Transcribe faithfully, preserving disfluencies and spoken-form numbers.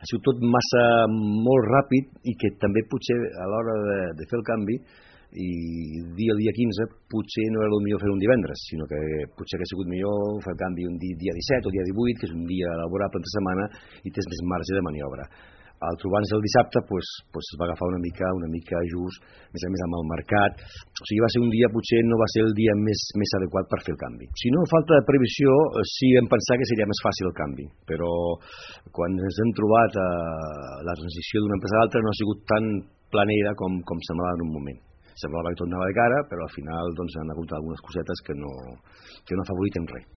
ha sigut tot massa molt ràpid i que també potser a l'hora de, de fer el canvi i dir el dia quinze potser no era el millor fer un divendres, sinó que potser hauria sigut millor fer el canvi un dia, dia disset o dia divuit, que és un dia laborable entre setmana i tens més marge de maniobra. Al trobar-nos el dissabte pues, pues es va agafar una mica una mica just, més a més amb el mercat, o sigui va ser un dia, potser no va ser el dia més, més adequat per fer el canvi. Si no, falta de previsió, sí vam pensar que seria més fàcil el canvi, però quan ens hem trobat a la transició d'una empresa a l'altra no ha sigut tan planera com, com semblava en un moment. Semblava que tot anava de cara, però al final doncs, han hagut algunes cosetes que no, que no afavoriten res.